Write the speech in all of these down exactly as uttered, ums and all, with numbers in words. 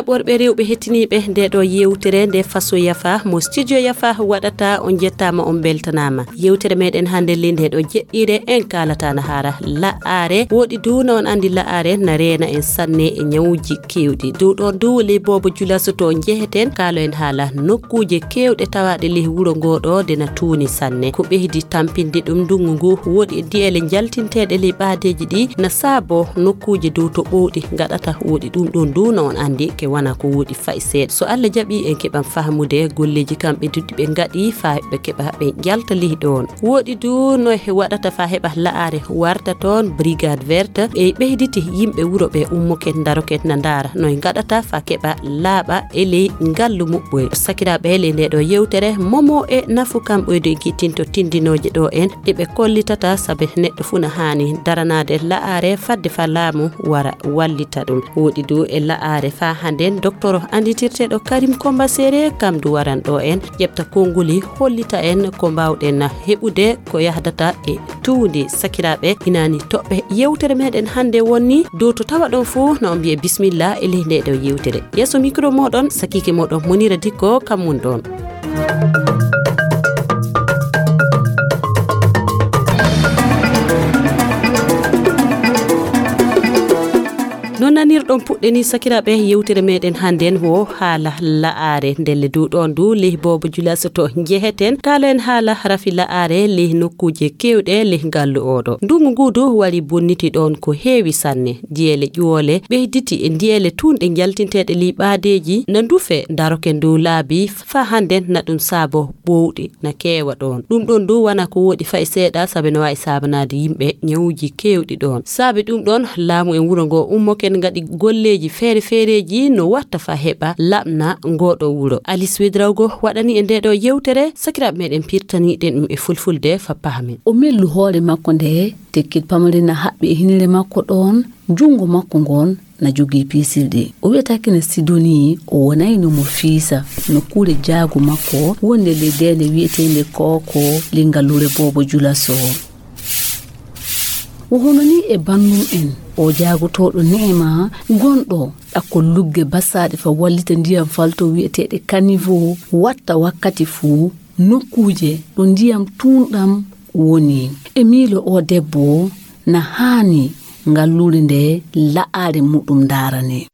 Ɓorɓe rewɓe hettiniiɓe nde ɗo yewtere nde Faso Yafa mo studio Yafa waɗata, on jettaama, on beltanaama. Yewtere meɗen hannde le nde ɗo jeɗɗire en kaalata na haara la'are. Woɗi du na on anndi la'are na reena en sanne e ñawuji kewɗi. Dow ɗon du ley boobo julaso to njeheten kaalo en haala nokkuuje kewɗe tawaɗe ley wuro ngo ɗo de na tuuni sanne. Ko ɓeydi tampinde ɗum ndungu ngu woɗi e di'ele njaltinteɗe ley ɓaadeeji ɗi na saabo nokkuuje dow to ɓowɗi ngaɗata woɗi ɗum ɗon du na on anndi ke wana ko woɗi fay seeɗa. So Allah jaɓi en keɓan fahmude golleeji kamɓe duddi ɓe ngaɗi fa ɓe keɓa ɓe jalta ley ɗon. Woɗi du no e waɗata fa heɓa la'are warta toon brigade verte e ɓeyditi yimɓe wuro ɓe ummoke ndaroke na ndaara no e ngaɗata fa keɓa laaɓa e ley ngallu muɓɓoy. Sakiraaɓe ley nde ɗo yewtere momo e nafu kam ɓoyde gittinto tindinooje ɗo en ɗe ɓe kollitata sabe neɗɗo fuu na haani daranaade la'are fadde fa laamu wara wallita ɗum. Woɗi du e la'are fa hannde docteur annditirteeɗo Karim Komba Sere kam du waran ɗo en ƴeɓta konnguli hollita en ko mbaawɗen heɓude ko yahdata e tuundi. Sakiraaɓe inaani toɓɓe yewtere meɗen hannde wonni dow to tawa ɗon fuu na on mbiye bismillah e ley nde ɗo yewtere. Yeeso micro moɗon sakiike moɗon Monira Dikko kam mun ɗon. No nanirɗon puɗɗe ni sakiraaɓe yewtere meɗen hannden wo haala la'are ndelle du ɗon du ley boobo julaso to njeheten kaala en haala rafi la'are ley nokkuuje kewɗe ley ngallu oɗo. Ndungu ngu du wari bonniti ɗon ko heewi sanne. Diyeele ƴuwole ɓeyditi e diyeele tunɗe njaltinteeɗe ley ɓaadeeji na ndufe daroke ndu laabi fa hannden na ɗum saabo ɓowɗi na keewa ɗon. Ɗum ɗon du wana ko woɗi fay seeɗa sabe no wawi saabanaade yimɓe ñawuji kewɗi ɗon. Saabe ɗum ɗon laamu en wuro ngo ummoke ngaɗi golleeji feere feereeji no watta fa heɓa laɓna ngoɗo wuro. Alice Wedrawgo waɗani e nde ɗo yewtere sakiraaɓe meɗen pirtaniɗen ɗum e fulfulde fa pahamen. O mellu hoore makko nde tekkit pamari na haɓɓi e hinire makko ɗon junngo makko ngon na jogii piisirɗi. O wiyata kene Sidoni o wonayno mo fiisa nokkuure jaago makko wonde ley deende wiyeteende Kooko ley ngalluure boobo Julaso. Wo hono ni e bannum en o jaagotooɗo neema gonɗo ɗakkol lugge basaaɗe fa wallita ndiyam falto wiyeteeɗe kanivo watta wakkati fuu nokkuuje ɗo ndiyam tuunɗam woni. E miilo o debbo na haani ngalluure nde la'aare muɗum ndaarane.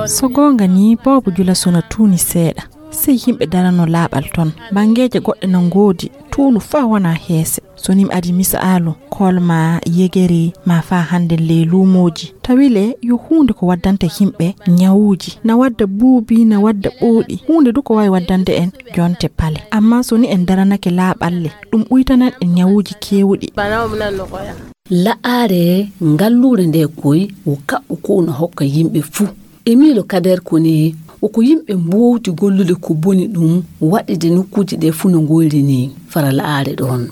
So goonga ni boobo Julaso na tuuni seeɗa. Sey yimɓe darano laaɓal ton. Banngeeje goɗɗe na ngoodi tuunu faa wona heese. So ni mi adi misaalu kolma yegeri ma faa hannden ley luumooji. Tawi le yo huunde ko waddanta yimɓe ñawuuji. Na wadda buubi, na wadda ɓowɗi. Huunde du ko waawi waddande en jonte pale. Ammaa so ni en daranake laaɓal le, ɗum uytanan en ñawuuji keewɗi. La'aare ngalluure nde koy wo kaɓɓu ko no hokka yimɓe fuu. E miilo Kader Kone wo ko yimɓe mboowti gollude ko boni ɗum waɗde nokkuuji ɗe fuu no ngoyri ni fara la'aare ɗoon.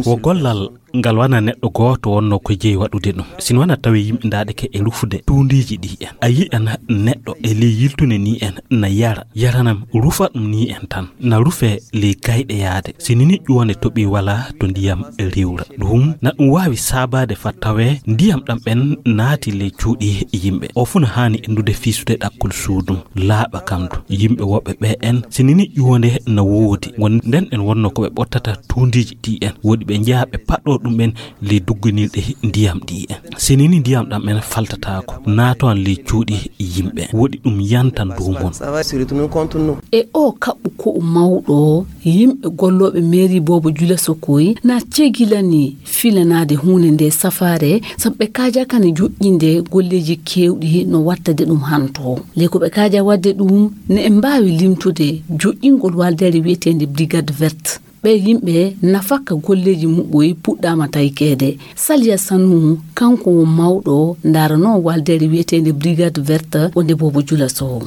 Wo gollal ngal wana neɗɗo gooto wonno ko jeyi waɗude ɗum. Sino wana tawi yimɓe ndaɗeke e rufude tuundiiji ɗi en. A yi'an neɗɗo e ley yiltune ni en na yara, yaranam rufa ɗum ni en tan. Na rufe ley gayɗe yaade. Si nini ƴuwande toɓi wala to ndiyam riwra. Ɗum na ɗum waawi saabaade fa tawe ndiyam ɗam ɓen naati ley cuuɗi yimɓe. O fuu na haani endude fiisude ɗakkol suudum. Laaɓa kam du. Yimɓe woɓɓe ɓe en si nini ƴuwande na woodi. Won nden en wonno ko ɓe ɓottata tuundiiji ɗi en. Woodi ɓe njaha ɓe paɗɗo ɗum ɓen ley dugginirɗe ndiyam ɗi en. Si nini ndiyam ɗam en faltataako. Naatowan ley cuuɗi yimɓe. Woodi ɗum yantan dow mon. E o kaɓɓu ko mawɗo yimɓe gollooɓe meeri boobo Jula Sokoy na cegilani filanaade huunde nde safaare sabu ɓe kaajakani joƴƴinde golleeji keewɗi no wattade ɗum hanto. Ley ko ɓe kaaja waɗde ɗum ne en mbaawi limtude joƴƴingol waldeere wiyeteende Brigade Verte. Ɓee yimɓe nafakka golleeji muɓɓoy puɗɗaama taykeede. Saliya Sanu kanko won mawɗo ndaranoo waldeere wiyeteende Brigade Verte wonde boobo Jula Sow.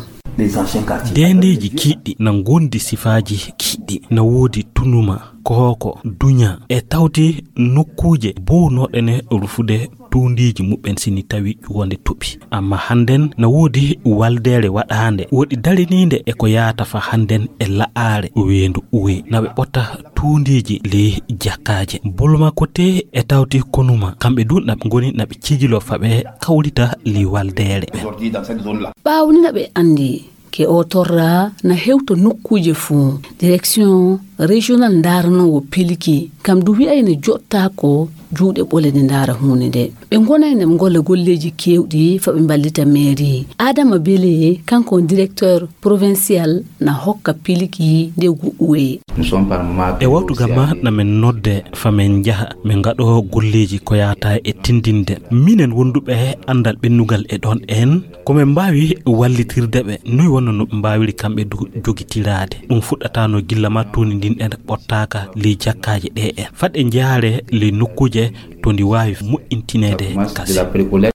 Deendeeji kiiɗɗi na ngondi sifaaji kiiɗɗi na woodi tunuma, kooko, duña e tawde nokkuuje bownooɗe ne rufude tuundiiji muɓɓen sini tawi ƴuwonde toɓi. Amma hannden na woodi waldeere waɗaande, woodi dariniinde e ko yaata fa hannden e la'aare weendu uwe. Na ɓe ɓotta tuundiiji ley jakkaaje. Bolma Kote e tawti Konuma, kamɓe du na ɓe ngoni na ɓe cigilo fa ɓe kawrita ley waldeere ɓen. Ɓaawo ni na ɓe anndi ke o torra na hewta nokkuuje fuu. Direction régional ndaaranoowo pilki, kam du wi'ay na jottaako juuɗe ɓole nde ndaara huunde nde. Ɓe ngonay na ɓe ngolla golleeji keewɗi fa ɓe mballita mairie. Adama Bele, kanko on directeur provincial, na hokka pilki nde gu'uwe. E wawtu gam ma na men nodde fa men njaha, men ngaɗo golleeji ko yaata e tindinde. Minen wonduɓe andal ɓennugal e ɗon en, ko men mbaawi wallitirde ɓe, noy wonno no ɓe mbaawiri kamɓe du jogitiraade. Ɗum fuɗɗataano gilla ma tuuni ndin en ɓottaaka ley jakkaaje ɗe en. Fat e njaare ley nokkuuje to ndi waawi moƴƴintineede kasi.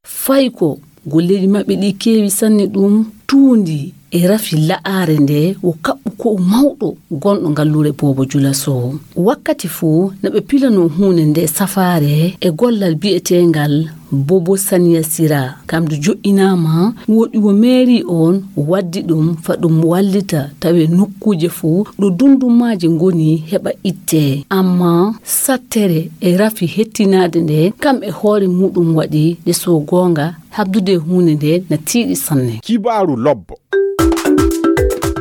Fay ko golleeji maɓɓe ɗi keewi sanne ɗum tuundi e rafi la'aare nde wo kaɓɓu ko mawɗo gonɗo ngalluure Boobo Jula Sow. Wakkati fuu na ɓe pilano huunde nde safaare e gollal bi'eteengal Bobo Saniya Sira. Kam du jo'inaama woɗi wo meeri on waddi ɗum fa ɗum wallita tawe nokkuuje fuu ɗo dundumaaji ngoni heɓa itte. Amma sattere e rafi hettinaade nde kam e hoore muɗum waɗi nde so goonga habdude huunde nde na tiiɗi sanne. Kibaaru lobbo.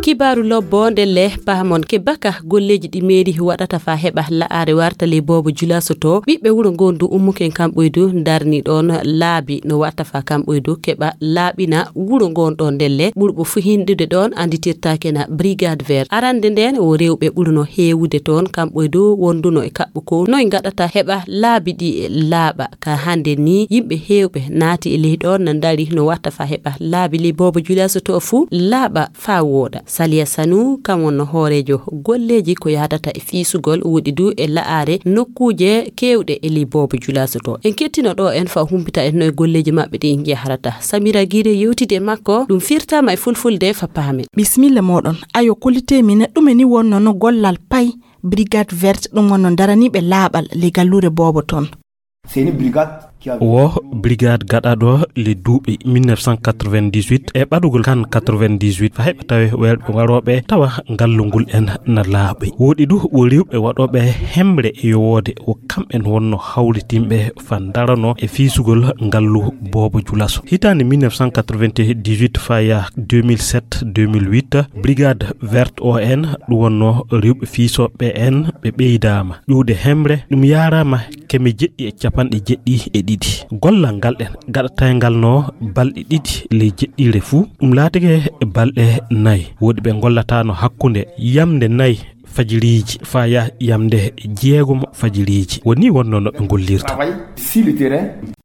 Kibaaru lobbo ndelle pahamon ke baka golleeji ɗi meeri waɗata fa heɓa la'aare warta ley Boobo Jula Sow to. Ɓiɓɓe wuro ngon du ummuken kamɓoy du darni ɗon laabi no watta fa kamɓoy du keɓa laaɓina wuro ngon ɗon ndelle ɓurɓo fu hindude ɗon anditirtaake na Brigade Vert. Arande nden wo rewɓe ɓuruno heewude toon kamɓoy du wonduno e kaɓɓu ko noy ngaɗata heɓa laabi ɗi laaɓa. Ka hande ni yimɓe heewɓe naati e ley ɗon na ndari no watta fa heɓa laabi ley Boobo Jula Sow to fu laaɓa fa wooɗa. Saliya Sanu kam wonno hooreejo golleeji ko yaadata e fiisugol woɗi du e la'aare nokkuuje keewɗe e ley Boobo Jula Sow to. En kettino ɗo en fa humpita en no e golleeji maɓɓe ɗi njahrata. Samira Gire yewtidi e makko ɗum firtama e fulfulde fa paamen. Bismilla moɗon. Ayo, kolite min ɗume ni wonno no gollal pay Brigade Verte ɗum wonno daraniɓe laaɓal ley galluure Boobo toon. Wo brigade gaɗaɗo le duuɓi mille neuf cent quatre-vingt-dix-huit e ɓaɗugol kan quatre-vingt-dix-huit fa heɓa tawe welɓe waɗoɓe tawa ngallungol en na laaɓi. Woɗi du wo rewɓe waɗoɓe hemre e yowoode wo kamɓen wonno hawritinɓe fa darano e fiisugol ngallu Boobo Jula Sow. Hitaande mille neuf cent quatre-vingt-dix-huit fa ya deux mille sept deux mille huit, brigade verte O N ɗum wonno rewɓe fiisoɓe en ɓe ɓeydaama ƴuwde hemre. Ɗum yaaraama keme jeɗɗi e capanɗe jeɗɗi e ɗiɗi. Gollal ngal ɗen gaɗatayngal no balɗe ɗiɗi ley jeɗɗiire fuu, ɗum laatike balɗe nayi. Woɗi ɓe ngollataano hakkunde yamnde nayi fajiriiji faa yaha yamnde jeegom fajiriiji. Woni wonno no ɓe ngollirta.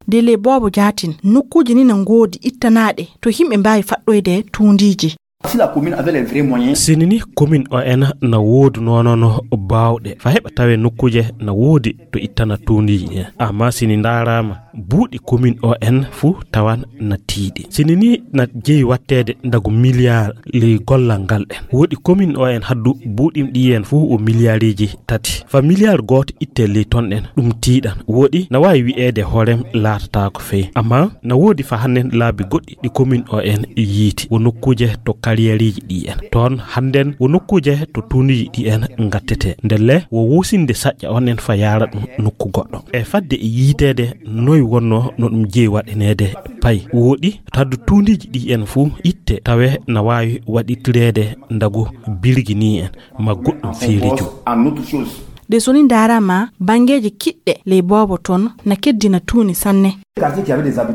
Nde ley Boobo Jaatin, nokkuuje ni na ngoodi ittanaaɗe to yimɓe mbaawi faɗɗoyde tuundiiji. Si la commune avait les vrais moyens. Sini ni commune O N na woodi noonono baawɗe fa heɓa tawe nokkuuje na woodi to ittana tuundiiji ɗin. Amma sini ndaaraama buuɗi commune O N fuu tawan na tiiɗi. Sini ni na jeyi watteede ndagu miliyaar ley gollal ngal ɗen. Woodi commune O N haddu buuɗi ɗi en fuu o miliyaariiji tati. Fa miliyaar gooto itte ley ton ɗen, ɗum tiiɗan. Woodi na waawi wi'eede hoorem laatataako fey. Amma na woodi fa hannen laabi goɗɗi ɗi commune O N yiiti. Wo nokkuuje to carrièreiji ɗi en. Toon hannden wo nokkuuje to tuundiiji ɗi en ngattete. Ndelle wo wusinde saƴƴa on en fa yaara ɗum nokku goɗɗo. E fadde e yiiteede noy wonno no ɗum jeyi waɗaneede pay. Woodi to haddu tuundiiji ɗi en fuu itte tawe na waawi waɗitireede ndagu birgi ni en ma goɗɗum feereejo. Nde so ni ndaaraama banngeeji kiɗɗe ley Boobo toon na keddina tuuni sanne.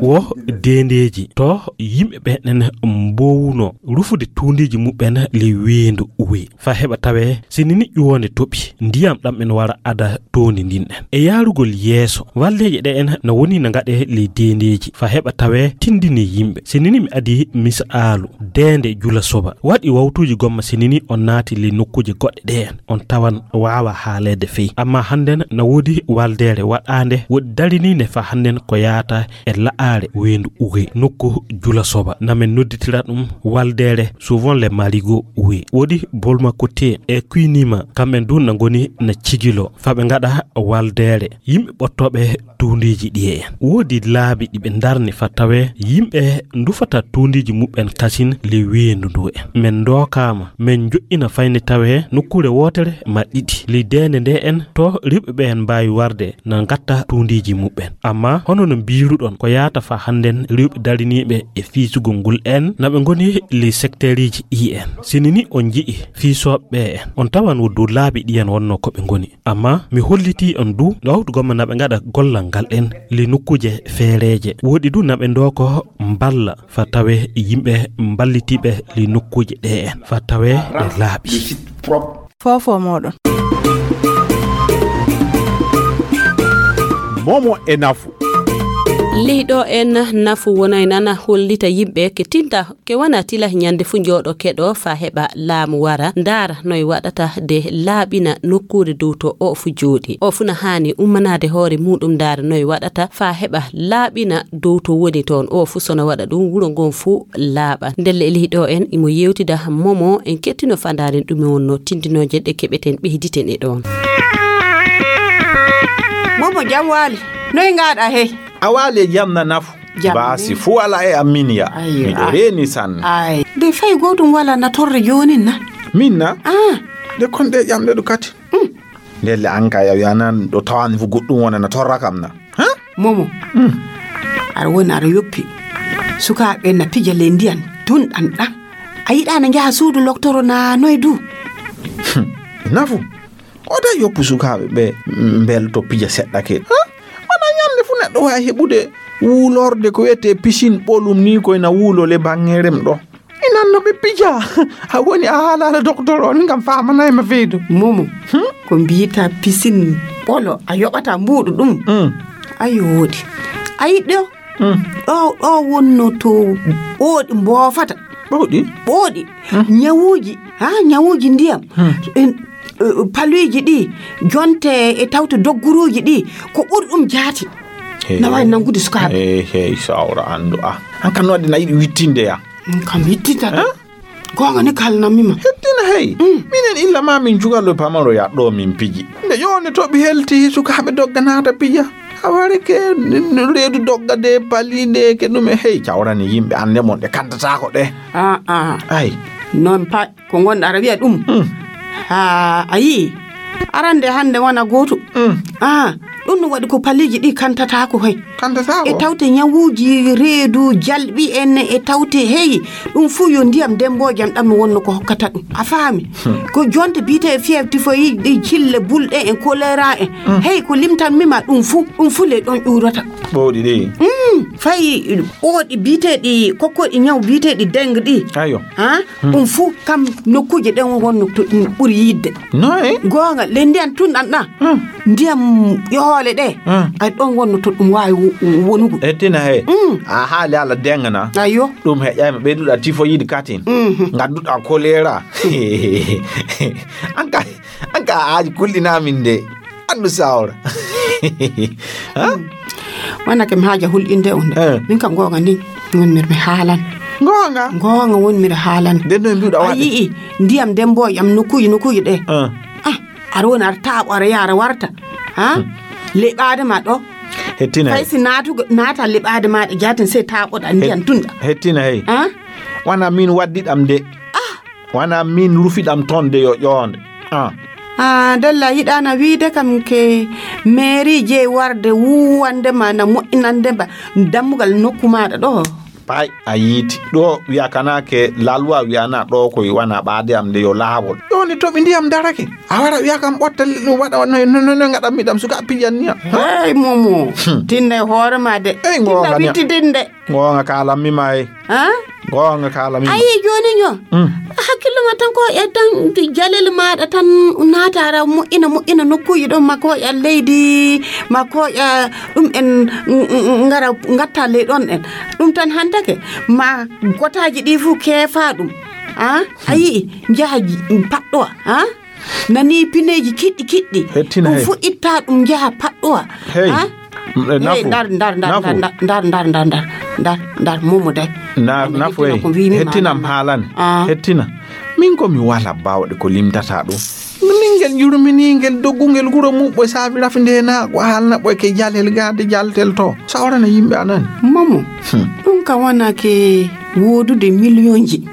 Wo deendeeji to yimɓe ɓen mbowuno rufude tuundiiji muɓɓen ley weendu uwe fa heɓa tawe sini ni ƴuwonde toɓi ndiyam ɗam en wara ada toondi ndin ɗen. E yaarugol yeeso, walleeje ɗe en na woni na ngaɗe ley deendeeji fa heɓa tawe tindini yimɓe. Sini ni mi adi misaalu deende Jula Soba. Waɗi wawtuuji gomma sini ni on naati ley nokkuuje goɗɗe ɗe en. On tawan waawa haaleede fey. Amma hannden na woodi waldeere waɗaande woɗi dariniinde fa hannden ko yaata ngarta e la'aare weendu Uwe, nokku Jula Soba. Na men nodditira ɗum Waldeere, souvent les Marigots Uwe. Woodi Bolma Kote e Kuinima, kamɓe du na ngoni na cigilo, faa ɓe ngaɗa Waldeere. Yimɓe ɓottooɓe tuundiiji ɗiye en. Woodi laabi ɗi ɓe ndarni faa tawee yimɓe ndufata tuundiiji muɓɓen kasin ley weendu ndu en. Men ndookaama, men njoɗɗina fayni tawee nokkuure wootere ma ɗiɗi. Ley deende nde en, to rewɓe ɓe en mbaawi warde na ngatta tuundiiji muɓɓen. Ammaa hono no mbiiruɗon, ko yaata faa hannden rewɓe dariniiɓe e fiisugol ngol en, na ɓe ngoni ley sekteeriiji ɗi en. Sini ni on nji'i fiisooɓe ɓe en, on tawan wo dow laabi ɗi en wonnoo ko ɓe ngoni. Ammaa mi hollitii on du, ɗo hawtu gomma na ɓe ngaɗa gollal ngal en ley nokkuuje feereeje. Woodi du na ɓe ndooko mballa faa tawee yimɓe mballitiiɓe ley nokkuuje ɗe en, faa tawee ɗe laaɓi. Foofo mooɗon. Momo e nafu. Leyɗo en nafu wonay nana hollita yimɓe ke tinta ke wana tila ñande fu njooɗo keɗo faa heɓa laamu wara ndaara noy waɗata de laaɓina nokkuure dow to o fu jooɗi. O fu na haani ummanaade hoore muuɗum ndaara noy waɗata faa heɓa laaɓina dow to woni toon. O fu sona waɗa ɗum wuro ngon fu laaɓa. Ndelle e leyɗo en imo yewtida momo en kettino fandaaren ɗum wonno tindinooje ɗe keɓeten ɓeyditen e ɗoon. Momo jam waali. Noy ngaɗa hey? A waali e jam na nafu. Jam baasi ni. Fuu ala e amin ya. Ayyo, miɗo ah. Reeni sanne. Ay. De fay gootum wala na torre joonin na? Min na? Ah. De kon ɗe ƴamɗe ɗo kati. Mm. Ndelle an kay a wi'anan ɗo tawani fu goɗɗum wona na torra kam na? Ha? Momo. Mm. Aɗa woni aɗa yoppi. Sukaaɓe na pija ley ndiyan. Tun ɗan ɗan. A yiɗa na njaha suudu loktoro na noy du? Hmm. Nafu. O da yoppu sukaaɓe ɓe mbelto pija seɗɗa ke. Ha? Wona ñande fu neɗɗo waawi heɓude wuulorde ko wiyetee pisin ɓolum ni koy na wuulo le baŋŋe rem ɗo. Inan no ɓe pija. A woni a haalaala doktor on ngam faamanay ma feydo. Momo. Hmm? Ko mbiyata pisin ɓolo a yoɓata mbuuɗu ɗum. Hmm. Ayo woodi. A yiɗɗo? Hmm. Ɗo, ɗo wonno to ɓooɗi mboofata. Ɓooɗi? Ɓooɗi. Hmm. Ñawuuji. Ha, ñawuuji ndiyam. Hmm. En, eh, paluuji ɗi, jonte e tawte dogguruuji ɗi, ko ɓuri ɗum jaati. Hey. Na waawi nanngude sukaaɓe. Hey, hey, sawra anndu. Ah, an kan no waɗi na yiɗi wittinde ya? Mm, kam wittinta de. Hein? Goonga ni kalnammi ma. Hettina hey. Mm. Minen illa ma min jugalo pamaro ya ɗo min piji. Nde yone to ɓi helti sukaaɓe dogga naata pija. A wareke n-, n-, reedu dogga de pali de ke ɗum e hey cawrani yimɓe annde mon ɗe kantataako ɗe. Ah, ah. Ay. Noon pa ko ngonɗa aɗa wiya ɗum. Mm. Ha a yii. Arande hannde wona gootu. Mm. Ah, ɗum no waɗi ko paliiji ɗi kantataako hay. Kantataako? E tawte ñawuuji reedu, jalɓi en, e tawte hey, ɗum fuu yo ndiyam demboojam ɗam no wonno ko hokkata ɗum. A faami? Hmm. Ko jonte biyetee fièvre typhoïde, ɗi cille, bulɗe en, choléra en. Hmm. Hey, ko limtanmi ma ɗum fuu, ɗum fuu le ɗon ƴuurata. Ɓooɗi ɗi? Hmm, fay ɓooɗi biyeteeɗi, kokkoɗi ñaw biyeteeɗi dengue ɗi. Ayo. Ha? Hmm. Ɗum fuu kam nokkuuje ɗen wonno to ɗum ɓuri yiɗde. Noy? Goonga, le ndiyan tun ɗan ɗan. Hmm. Ndiyam ƴohoole ɗe. Hmm. Ay ɗon wonno to ɗum waawi wo-, wonugo. Ettina he. Hmm. A haali ala dengana. Ayo. Ɗum heƴayma ɓeyduɗa tifoyid katin. Mhm. Ngadduɗa kolera. An ka, an ka a aji kulɗinamin de. Anndu sawra. Ha? Wona ke mi haaja hulɗinde on de. Eh. Min kam goonga ni wonmir mi haalan. Goonga? Goonga wonmir haalan. Nden no mbiɗa A waɗi? Yi'i ndiyam dembo yam nokkuji, nokkuji ɗe. Eh. Ah, aɗa woni aɗa taaɓo, aɗa yaha, aɗa warta. Ha? Hmm. Leɓaade ma ɗo. Hettina. Fay si naatugo, naata leɓaade ma ɗe jaatin sey taaɓoɗa ndiyam Het-, tunɗa. Hettina hey. Ha? Wana min waddi ɗam de. Ah. Wana min rufi ɗam ton de yo ƴoonde. Ah. Ah, Della yiɗana wiide kam ke mairie jeyi warde wuwande ma na moƴƴinande ma dammugal nokku maɗa ɗo. Pay a yiiti. Ɗo wiya kana ke la loi wiyana ɗo koy wana ɓaade am de yo laawol. Ƴoonde toɓi ndiyam darake. A wara wiya kam ɓotta ɗum waɗa no, no, no, no ngaɗan mi ɗam suka pijan niyam. Hey, Momo. Hmm. Tinna e hoore ma de. Hey, Tinna ngoonga niya. Wittidinde. Goonga kaalammi ma e. Ha? Goonga kaalammi ma. Ayi, jooni nyo. Mm. Hakkille ma tan ko e tan jalel maɗa tan naatara moƴƴina, moƴƴina nokkuji ɗon ma koƴa leydi, ma koƴa ɗum en, mm, mm, mm, ngara ngatta ley ɗon en. Ɗum tan hantake ma gotaji ɗi fu keefa ɗum. Ha? A yi'i njaha paɗɗowa. Ha? Nani pineeji kiɗɗi kiɗɗi. Hettina ɗum hey. Fu itta ɗum njaha paɗɗowa. Hey. Ha? Ndar ndar ndar ndar ndar ndar ndar ndar ndar ndar momo day. Ndar nafu ey. Hettinam haalane. Hettina. Min ko mi wala bawɗe ko limtata ɗum. Min ngel yurmini ngel doggungel guro muɓɓo e saabi rafi ndena ko haalna ɓoy ke jalel gade jaltel to sawrana yimɓe anani. Momo. Ɗum ka wona ke wodude miliyonji.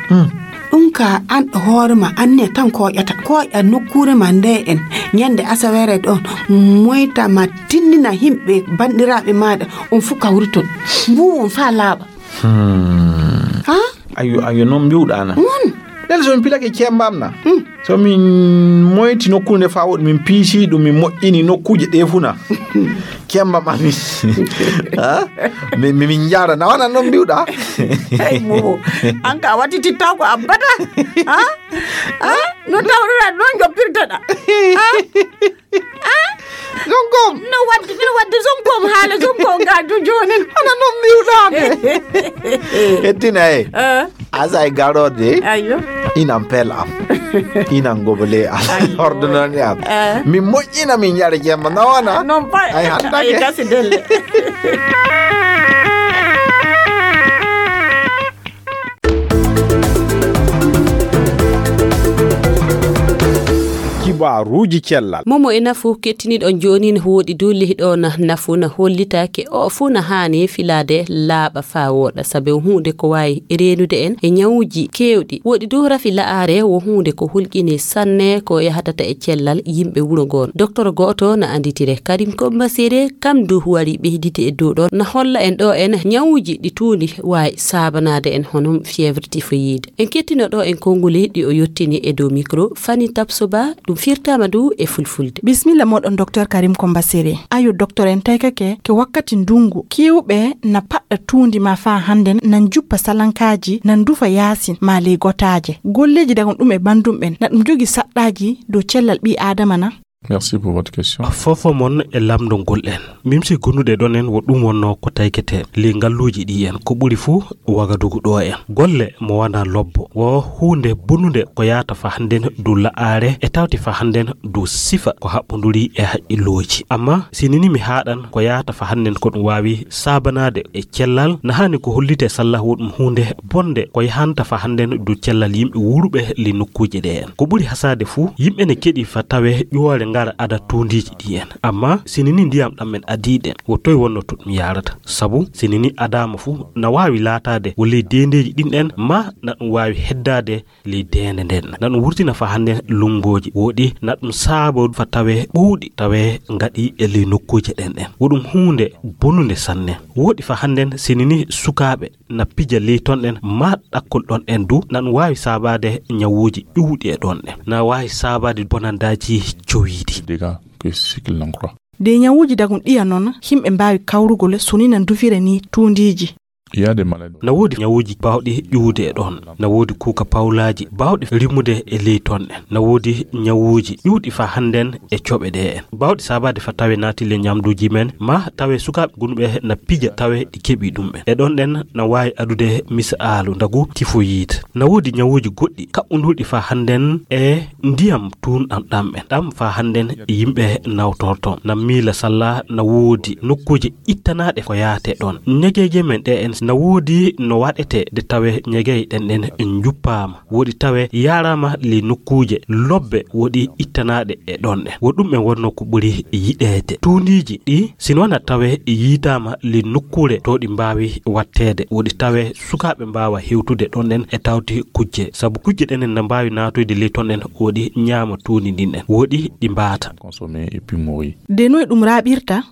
Ɗum ka an hoore ma anne tan koƴata koƴa nokkure ma nde en ñande asawere ɗon moyta ma tinnina yimɓe bandiraaɓe maaɗa on fuu kawriton mbuwon faa laaɓa. Ha? Ayo ayo non mbiwɗa na. Won. Nel so mi pilake cembam na. So mi moyti nokkude nde faa woɗi min piisi ɗum min moƴƴini nokkuuje ɗe fuu na. Cembam ami. Ha? Min min jara na wona non mbiwɗa. Hey mo. An ka wati titta ko abada. Ha? Ha? No tawrira non joppirtaɗa. Ha? Zongom. No waddi no waddi zongom haala zongom ga du jonin. Ana non mbiwɗa. Hettina e. Asa e garode. Ayo. Inan pel am. Inan gobole am. Ordonone am. Min moƴƴina min yara jemma nawana. Non pa. Ay hanta ke. Kasi delle. Kibaruuji cellal. Momo e nafu kettiniɗon jooni ne woɗi dow lehiɗo na nafu na hollitaake o fuu na haani filaade laaɓa faa wooɗa sabe o huunde ko waawi reenude en e ñawuuji keewɗi woɗi dow rafi la'aare wo huunde ko hulƴini sanne ko yahatata e cellal yimɓe wuro ngoon. Doktor gooto na annditire karim kombasere kam du wari ɓeyditi e dow ɗon na holla en ɗo en ñawuuji ɗi tuundi waawi saabanaade en hono fièvre typhoïde. En kettino ɗo en konnguli ɗi o yottini e dow micro Fani Tapsoba ɗum firtama du e fulfulde. Bismilla moɗon docteur Karim Komba Sere. Ayo docteur en taykake ke wakkati ndungu kiwɓe na paɗɗa tuundi ma fa hande nan juppa salankaaji nan dufa yaasin ma ley gotaaje. Golleeji dagon ɗum e bandum ɓen na ɗum jogi saɗɗaaji dow cellal ɓii aadama na? Merci pour votre question. Fofo mon e lamndongol en. Mimsi gonude ɗon en wo ɗum wonno ko taykete ley ngalluuji ɗi en ko ɓuri fuu wagadugu ɗo en. Golle mo wana lobbo wo huunde bonunde ko yaata fa hannden du la'aare e tawti fa hannden du sifa ko haɓɓunduri e haqqillooji. Amma sinini mi haaɗan ko yaata fa hannden ko ɗum waawi saabanaade e cellal na haani ko hollite sallah wo ɗum huunde bonde ko yahanta fa hannden du cellal yimɓe wuuruɓe ley nokkuuje ɗe en. Ko ɓuri hasaade fuu yimɓe ne keɗi fa tawe ƴuwoore ngara ada tuundiiji ɗi en. Amma sinini ndiyam ɗam men adii ɗen wo toy wonno to ɗum yaarata? Sabu sinini adaama fuu na waawi laataade wo ley deendeeji ɗin ɗen ma na ɗum waawi heddaade ley deende nden na ɗum wurtina fa hannden lunngooji woɗi na ɗum saabo fa tawe ɓowɗi tawe ngaɗi e ley nokkuuje ɗen ɗen. Wo ɗum huunde bonunde sanne. Woɗi fa hannden sinini sukaaɓe na pija ley ton ɗen ma ɗakkol ɗon ɗen du na ɗum waawi saabaade ñawuuji ƴuwɗi e ɗon ɗen na waawi saabaade bonandaaji jowiiɗi. De ñawuuji dagum ɗiya non himɓe mbaawi kawrugol so ni na ndufira ni tuundiiji. Na woodi ñawuuji baawɗi ƴuwde e ɗon na woodi kuuka pawlaaji baawɗi rimude e ley ton ɗen na woodi ñawuuji ƴuwɗi fa hannden e coɓe ɗe en baawɗi saabaade fa tawe naati le ñamduuji men ma tawe sukaaɓe gunɓe na pija tawe ɗi keɓi ɗum ɓen e ɗon ɗen na waawi adude misaalu ndagu tifoyid. Na woodi ñawuuji goɗɗi kaɓɓundurɗi fa hannden e ndiyam tuunɗam ɗam ɓen ɗam fa hannden yimɓe nawtorto na miila salla na woodi nokkuuje ittanaaɗe ko yaate ɗon ñegeeje men ɗe en na woodi no waɗete de tawe ñegey ɗen ɗen njuppaama woɗi tawe yaaraama ley nokkuuje lobbe woɗi ittanaaɗe e ɗon ɗen wo ɗum en wonno ko ɓuri yiɗeede tuundiiji ɗi sino wona tawe yiitaama ley nokkuure to ɗi mbaawi watteede woɗi tawe sukaaɓe mbaawa hewtude ɗon ɗen e tawti kujje sabu kujje ɗen en na mbaawi naatoyde ley ton ɗen woɗi ñaama tuundi ndin ɗen woɗi ɗi mbaata. De noy ɗum raaɓirta?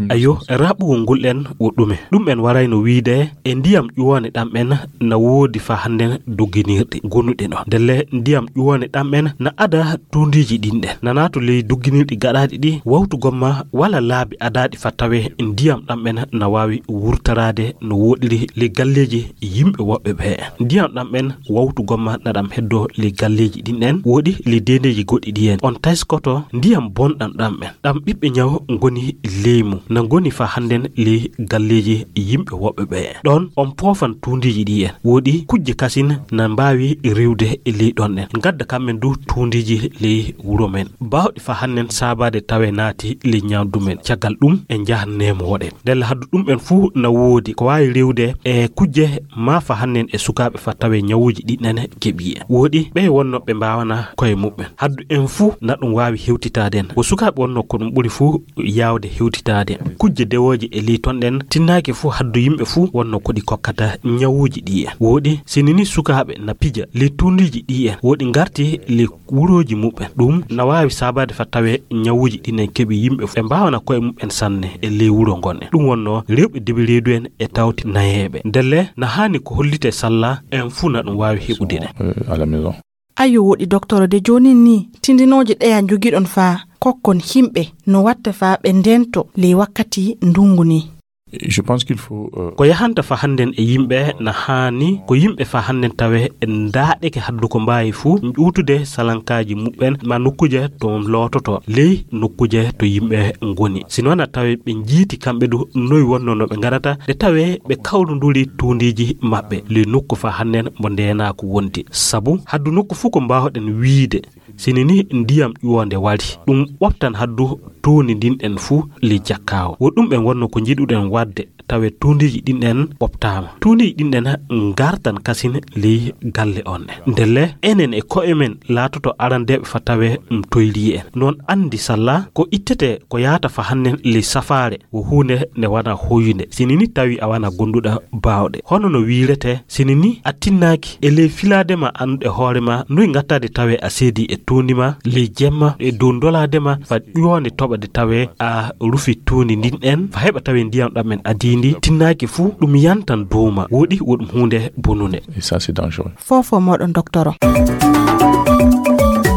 Ayo raɓɓugol ngol en wo ɗume ɗum en warayno wiide e ndiyam ƴuwone ɗam en na woodi fa hannden dogginirɗi gonuɗi no ndelle ndiyam ƴuwone ɗam en na ada tuundiiji ɗin ɗen na naato ley dogginirɗi gaɗaaɗi ɗi wawtu gomma wala laabi adaaɗi fa tawe ndiyam ɗam en na waawi wurtaraade no woɗiri ley galleeji yimɓe woɓɓe ɓe ndiyam ɗam en wawtu gomma na ɗam heddo ley galleeji ɗin ɗen woɗi ley deendeeji goɗɗi ɗi en on tayskoto ndiyam bonɗam ɗam en ɗam ɓiɓɓe ñaw ngoni leymu na ngoni fa hannden ley galleeji yimɓe woɓɓe ɓe. Ɗon on poofan tuundiiji ɗi en. Woodi kujje kasin na mbaawi riwde ley ɗon ɗen. Ngadda kamɓe du tuundiiji ley wuro men. Baawɗi fa hannden saabaade tawe naati ley ñaamdu men. Caggal ɗum en njahan neemo woɗen. Ndelle haddu ɗum en fuu na woodi ko waawi riwde e kujje maa fa hannden e sukaaɓe fa tawe ñawuuji ɗi ɗen keɓi en. Woodi ɓe wonno ɓe mbaawana koye muɓɓen. Haddu en fuu na ɗum waawi hewtitaade en. Wo sukaaɓe wonno ko ɗum ɓuri fuu yaawde hewtitaade. Kujje dewooje e ley ton ɗen tinnaaki fuu haddu yimɓe fuu wonno ko ɗi kokkata ñawuuji ɗi en. Woodi sini ni sukaaɓe na pija ley tuundiiji ɗi en. Woodi ngarti ley wurooji muɓɓen. Ɗum na waawi saabaade fa tawe ñawuuji ɗi en keɓi yimɓe fuu. Ɓe mbaawana koye muɓɓen sanne e ley wuro ngon en. Ɗum wonno rewɓe debi reedu en e tawti nayeeɓe. Ndelle na haani ko hollitee salla en fuu na ɗum waawi heɓude ɗe. Euh, à la maison. Ayo woɗi doktoro de joonin ni tindinooje ɗeya njogiɗon faa kokkon himɓe no watta faa ɓe ndento ley wakkati ndungu ni. Je pense qu'il faut, euh, ko yahanta fa hannden e yimɓe na haani ko yimɓe fa hannden tawe ndaaɗeke haddu ko mbaawi fuu ƴuutude salankaaji muɓɓen ma nokkuuje to loototo ley nokkuuje to yimɓe ngoni. Sino na tawe ɓe njiiti kamɓe du noy wonno no ɓe ngaɗata de tawe ɓe kawrunduri tuundiiji maɓɓe ley nokku fa hannden mbo ndeenaaku wonti. Sabu haddu nokku fuu ko mbaawɗen wiide sini ni ndiyam ƴuwoonde wari. Ɗum ɓoftan haddu tuundi ndin ɗen fuu ley jakkaawo. Wo ɗum ɓen wonno ko njiɗuɗen waɗde tawe tuundiiji ɗin ɗen ɓoftaama. Tuundiiji ɗin ɗen ngartan kasin ley galle on ɗen. Ndelle enen e ko'e men laatoto arandeeɓe fa tawe ɗum toyri en. Noon anndi salla ko ittete ko yaata fa hannden ley safaare wo huunde nde wana hoyunde. Sini ni tawi a wana gonduɗa baawɗe. Hono no wiirete sini ni a tinnaaki e ley filaade ma anndude hoore ma noy ngattaade tawe a seedi e tuundi ma ley jemma e dow ndolaade ma fa ƴuwoonde toɓa de tawe a rufi tuundi ndin ɗen fa heɓa tawe ndiyam ɗam men adii ndi tinnaaki fuu ɗum yantan dow ma. Woɗi wo ɗum huunde bonunde. Et ça, c'est dangereux. Fofo moɗon doktoro.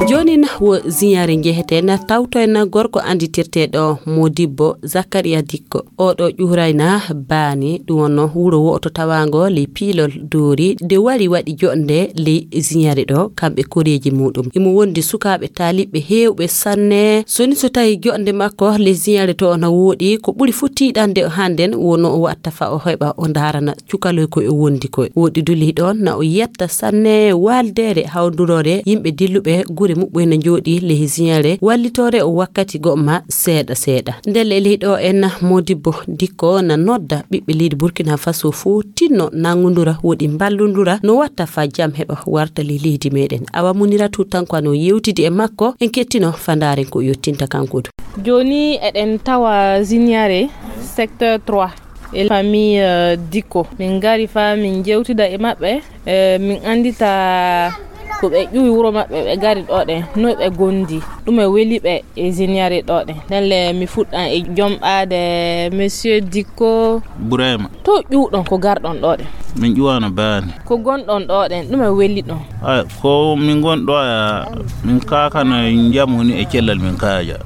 Joonin wo ziyaare njeheten tawtoen gorko annditirteeɗo Modibbo Zakariya Dikko. Oɗo ƴuurayna baani, ɗum wonno wuro wo'oto tawaango ley piilol doori, nde wari waɗi joɗnde ley ziyaare ɗo, kamɓe koreeji muɗum. Imo wondi sukaaɓe taaliɓɓe heewɓe sanne. Soni so tawi joɗnde makko ley ziyaare to na woɗi, ko ɓuri fuu tiiɗande o hannden wonno o watta fa o heɓa o ndaarana cukaloy koy o wondi koy. Woɗi duli ɗon na o yetta sanne waaldeere hawndurore yimɓe dilluɓe gure muɓɓoy na njooɗi ley ziyaare wallitoore o wakkati go'o ma seeɗa seeɗa. Ndelle ley ɗo en Modibbo Dikko na nodda ɓiɓɓe leydi Burkina Faso fuu tinno nangundura woɗi mballundura no watta fa jam heɓa warta ley leydi meɗen. Awa Muniratu Tanko ano yewtidi e makko en kettino fa ndaaren ko yottinta kanko du. Jooni eɗen tawa ziyaare secteur trois. E famille, euh, Dikko. Min ngari fa min jewtida e maɓɓe. Eh, min anndita ko ɓe ƴuwi wuro maɓɓe, ɓe ngari ɗo ɗen. Noy ɓe gondi? Ɗume weli ɓe e ziyaare ɗo ɗen? Ndelle mi fuɗɗan e jomɓaade monsieur Dikko. Burema. To ƴuwɗon ko garɗon ɗo ɗen? Min ƴuwano baani. Ko gonɗon ɗo ɗen, ɗume weli ɗon? Ay, ko min gon ɗo ya, min kakana njamu ni e cellal min kaaja.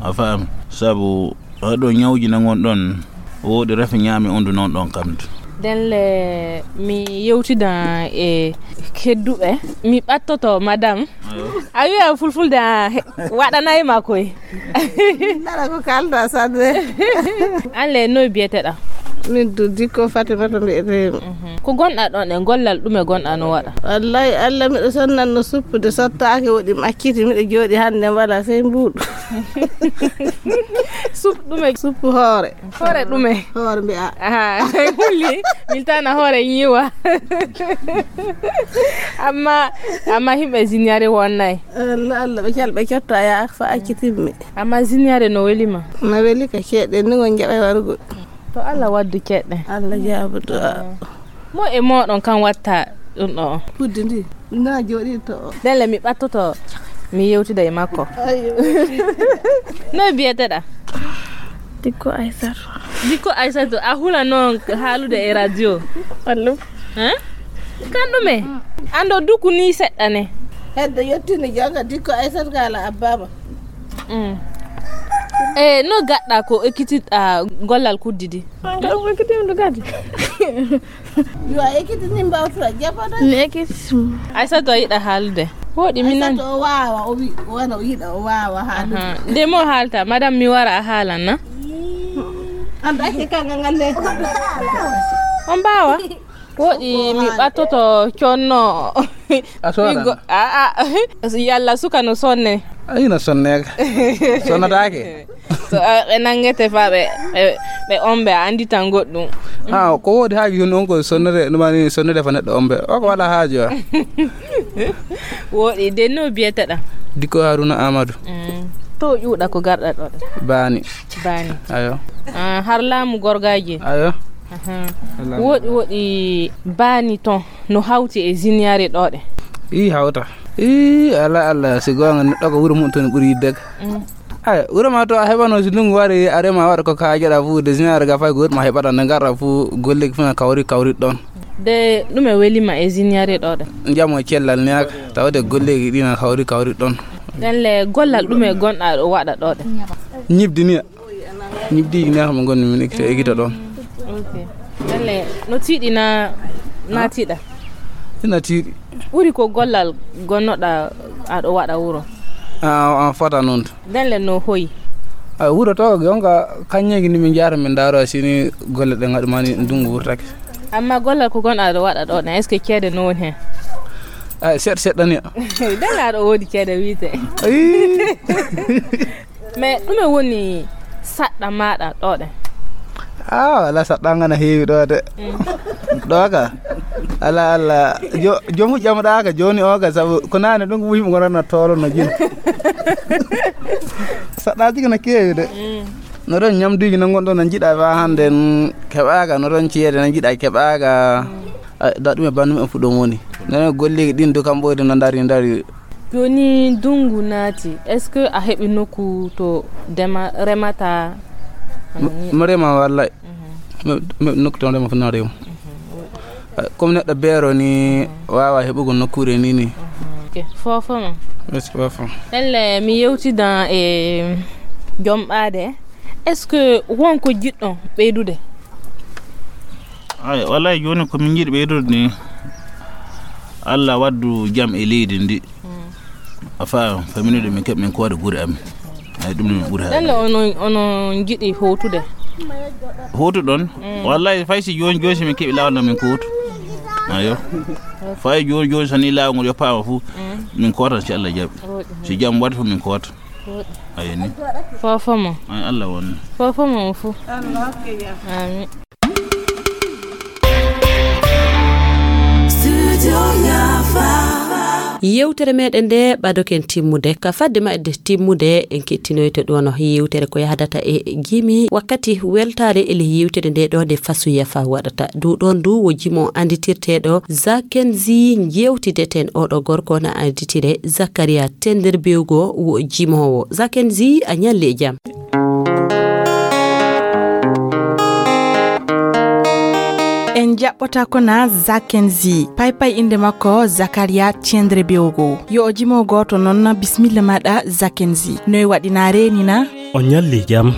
A faami? Sabu Oɗo ñawji na ngon ɗon, woodi rafi ñaami undu non ɗon kam. Ndelle mi yewtida e kedduɓe. Mi ɓattoto madame. Ayo. A wi'a fulfulde a he-, waɗanay ma koy. Nana ko kalda sanne. An le noy biyeteɗa? Min du Dikko Fatimata mbiyetemi. Mhm. Ko gonɗa ɗon e gollal ɗume gonɗa no waɗa? Wallahi Allah miɗo sonnan no suppude sottaaki woɗi macciti miɗo jooɗi hannde wala sey mbuuɗu. Sup ɗume? Suppu hoore. Hoore ɗume? Hoore mbi'a. Aha, hulli. Miltana hoore yiwa. Amma, amma himɓe ziyaare wonnay. Allah, Allah, ɓe cal ɓe cotta ya fa accitimmi. Amma ziyaare no weli ma? No weli ka ceeɗe ni ngon jaɓay warugol. To Allah waddu ceeɗe. Allah jaabu du'a. Mo e moɗon kan watta ɗum ɗo? Kuddi ndi. Na jooɗi to. Ndelle mi ɓattoto, mi yewtida e makko. Ayo. Noy biyeteɗa? Dikko Aysatu. Dikko Aysatu, a hula noon haalude e radio? Wallum. Hein? Kan ɗume? An ɗo duku ni seɗɗa ne. Hedde yettini jaga Dikko Aysatu ka ala abbama. Mm. E no gaɗɗa ko ekkitiɗa gollal kuddi di? An ka ɗum ekkitimɗo kadi. Yo a ekkiti ni mbawtuɗa jaɓata. Mi ekkiti. Aysatu a yiɗa haalude. Woɗi mi nani. Aysatu o waawa, o wi-, wona o yiɗa, o waawa haalude. Aha. Nde mo haalta, madame mi wara a haalan na? On mbaawa? Woɗi mi ɓattoto conno. A soran? Ɓiggo, a, a. Yalla suka no sonne? A ina sonne ka. Sonnataake. So, a, ɓe nanngete fa ɓe, ɓe, ɓe ombe, a annditan goɗɗum. Ah, ko woodi haa jooni on ko sonnere, ɗum woni sonnere fa neɗɗo ombe. O ko wala haaju, a. Woɗi, de no biyeteɗa? Dikko Haruna Amadou. Mm. To ƴuuɗa ko garɗa ɗo ɗo? Baani. Baani. Ayo. Ah, har laamu gorgaaji? Ayo. Aha. Laamu. Woɗi, woɗi baani ton no hawti e ziniyare ɗo ɗe? Ii, hawta. Ii, ala, ala, si goonga neɗɗo ko wuro mum toon ɓuri yidde ka. Mm. Ay, wuro ma to a heɓano si ndungu wari, a rema waɗa ko kaajaɗa fu, de ziniyare ga fay ko wuro ma heɓata nde garɗa fu, golleeki fu na kawri, kawri ɗon. De ɗume welima e ziniyare ɗo ɗe? Jamo e cellal ni haka, tawde golleeki ɗi na kawri, kawri ɗon. Ɗen le gollal ɗume gonɗa ɗo waɗa ɗo ɗe? Ñibdi ni. Ñibdiiji ne hamo ngonmi min ekkita, ekkita ɗon. Ok. Ɗen le, no tiiɗi na, na tiiɗa? Ina tiiɗi. Ɓuri ko gollal gonnoɗa aɗo waɗa wuro? A, a fota noon. Ɗen le no hoyi? A, wuro to, jonka kañeeji ni min njahata min ndaaro sini golle ɗe ngaɗu mani ndungu wurtake. Amma gollal ko gonɗa aɗo waɗa ɗo ɗen, est-ce que ceede no woni hen? A, seɗɗa seɗɗa ni. Ɗen le aɗo woodi ceede wiite. Ayi. Mais ɗume woni saɗɗa maɗa ɗo ɗe? Ah, wala saɗɗa ngana heewi ɗo de. Mm. Ɗo ka. Ala, ala. Jo-, jomu ƴamɗa ka joni o ka, sabu ko nane ɗum ko yimɓe ngona na tolo no jin. Saɗɗaji kana keewi de. Mm. No ɗon ñamduji na ngon ɗon na jiɗa fa hande n keɓaka, no ɗon ceede na jiɗa keɓaka. Mm. Ay, da ɗum e banndum en fu ɗon woni. Nene golleeji ɗin du kam ɓoyde no ndari, ndari. Jooni ndunngu naati, est-ce que a heɓi nokku to dema-, remata? M-, mo rema wallay. Mhm. Mi, mi nokku to rema fu na rema. Mhm. Ay, comme neɗɗo beero ni, mhm, waawa heɓugo nokkuure ni ni. Mhm. Ok. Fofo ma. Merci, fofo. Ɗelle mi yewtidan e jomɓaade. Est-ce que won ko jiɗɗon ɓeydude? Ay, wallahi jooni ko min njiɗi ɓeydude ni, Allah waddu jam e leydi ndi. Mm. A faam, faminude min keɓ min koode gure amin. Ay, ɗum ni min ɓuri haɗde. Ɗelle onon, onon njiɗi howtude? Howtuɗon? Mm. Wallahi, fay si jooni, jooni si min keɓi laawol no min kowtu. Ayo. Fay jooni, jooni so ni laawol ngol yoppaama fu, mm, min kowtan si Allah jaɓi. Woɗi. Si jam waɗi fu min kowtan. Woɗi. Ayo ni. Fofo mo. Ay, Allah won. Fofo mo fu. Allah hokke jam. Amin. Yewtere meɗen nde ɓadoken timmude. Ka fadde maɓɓe timmude, en kettinoyto ɗono yewtere ko yahdata e jimi. Wakkati weltaare e ley yewtere nde ɗo nde Fasu Yafa waɗata. Du ɗon du wo jimo anditirteɗo Zakenzi jewtideten. Oɗo gorko na anditire Zakaria Tenderbewgo wo jimowo. Zakenzi, a ñalle e jam. En jaɓɓotaako na Zakenzi. Paypay innde makko Zakaria Tiendre Bewgo. Yo o jimo gooto noon na. Bisimilla maɗa Zakenzi. Noy waɗi na reeni na? O ñalli jam.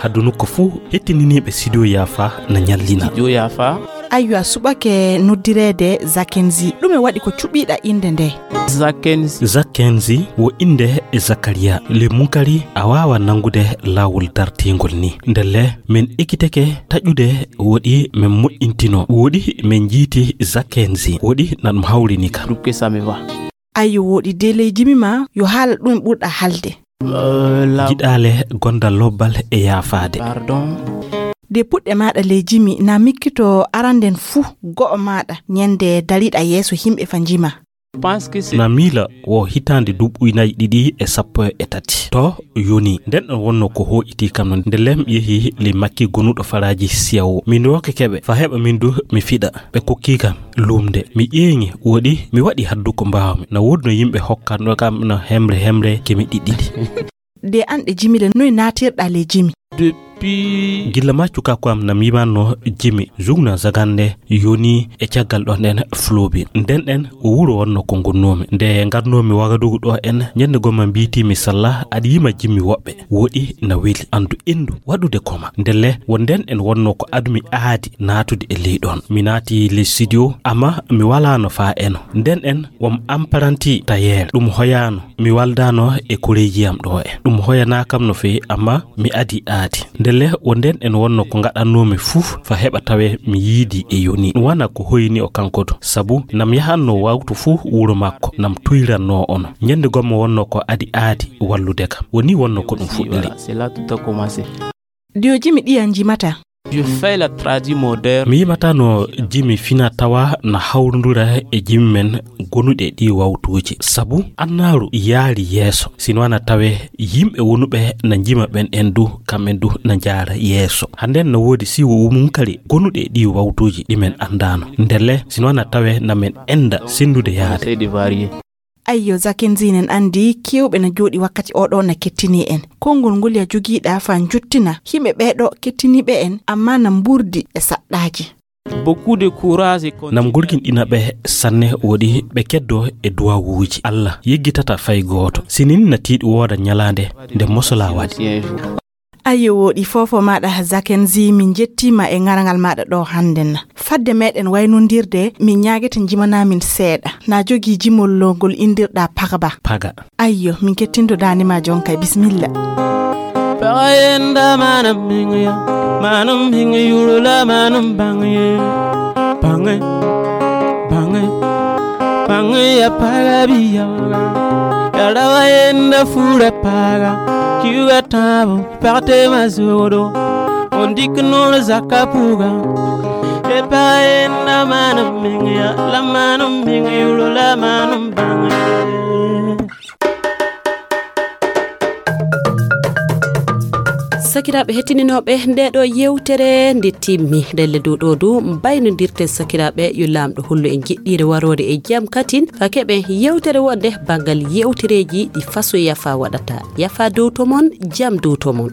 Haddu nokku fuu hettininiiɓe Studio Yaafa na ñallina. Studio Yaafa. Aywa, suɓake noddireede Zakenzi. Ɗume waɗi ko cuɓiiɗa innde nde? Zakenzi. Zakenzi wo innde e Zakariya. Le Munkari a waawa nanngude laawol dartiingol ni. Ndelle min ekkitake taƴude woɗi min moƴƴintino. Woɗi min njiiti Zakenzi. Woɗi na ɗum hawrini ka. Dukke Sameva. Ayyo, woɗi de ley jimi ma, yo haala ɗum ɓurɗa halde. Jiɗaale gonda lobbal e yaafaade. Pardon. De puɗɗe maɗa ley jimi, na mikkito aranden fuu go'o maɗa, ñande dariɗa yeeso himɓe fa njima. Na miila wo hitaande duuɓi nayi ɗiɗi e sappo e tati. To yoni, nden ɗon wonno ko hooƴiti kam non. Nde lem yehi ley makki gonuɗo faraaji siyawo. Min rooke keɓe, fa heɓa min du mi fiɗa. Ɓe kokki kam lumde. Mi ƴeeŋi, woɗi, mi waɗi haddu ko mbaawmi. Na woodi no yimɓe hokkanno kam no hemre hemre kemi ɗiɗɗiɗi. De an ɗe jimi le, noy naatirɗa le jimi? Depuis. Gilla ma cukaaku am na miimanno jimi, jugna zagande, yoni e caggal ɗon ɗen flobi. Nden ɗen o wuro wonno ko ngonnoomi. Nde ngarnoomi Wagadugu ɗo en, ñande gomma mbiitiimi salla, aɗa yima jimmi woɓɓe. Woɗi na weli, andu indu waɗude koma. Ndelle won nden en wonno ko adumi aadi naatude e ley ɗon. Mi naati le studio, amma mi walaano faa eno. Nden en won apprenti tailleur. Ɗum hoyaano. Mi waldano e koreeji am ɗo en. Ɗum hoyana kam no feewi, amma mi adi aadi. Ndelle o nden en wonno ko ngaɗannoomi fuu fa heɓa tawe mi yiidi e yoni. Ɗum wana ko hoyni o kanko du. Sabu nam yahanno wawtu fuu wuro makko, nam tuyranno ono. Ñande gommo wonno ko adi aadi wallude kam. Woni wonno ko ɗum fuɗɗiri. Voilà, c'est là tout a commencé. Dio jimi ɗiyan jimata. Je fais la tradi moderne. Mi yimata no jimi fina tawa na hawrundura e jimi men gonuɗe ɗi wawtuuji. Sabu annaaru yaari yeeso. Sino ana tawe yimɓe wonuɓe na jima ɓen en du, kamɓen du na jaara yeeso. Handen no woodi siwo mum kadi gonuɗe ɗi wawtuuji ɗi men andaano. Ndelle, sino ana tawe na men enda sendude yaade. Ayyo, Zakenzi nen andi kewɓe na jooɗi wakkati oɗo na kettini en. Konngol ngol ya jogiiɗa fa njuttina. Himɓe ɓeeɗo kettiniɓe en, amma na mburdi e saɗɗaaji. Beaucoup de courage et nam gurginɗina ɓe sanne woɗi ɓe keddo e duwawuuji. Allah yeggitata fay gooto. Sinin na tiiɗi wooda ñalaande nde mosola waɗi. Ayyo, woɗi fofo maɗa Zakenzi, min jettima e ŋaraŋal maɗa ɗo hannden. Fadde meɗen waynondirde, min ñaagete jimana min seeɗa. Na jogi jimol ngol indirɗa Pagba. Paga. Ayyo, min kettinto dande ma jon kay, bismilla. Paga yenda manam minga, manam minga yurula manam bange. Bange, bange, bange ya paga biya. Ya rawa yenda fura paga, kiwa tabo, parte mazoro. On dit que non le zakapuga. E paga yenda manam minga, la manam minga yurula manam bange. Sakiraaɓe hettininooɓe, nde ɗo yewtere nde timmi. Ndelle dow ɗo du mbaynodirten sakiraaɓe, yo Laamɗo hollu en jiɗɗiire waroore e jam katin, fa keɓen yewtere wonde banngal yewtereeji ɗi faso yafa waɗata. Yafa dow to mon, jam dow to mon.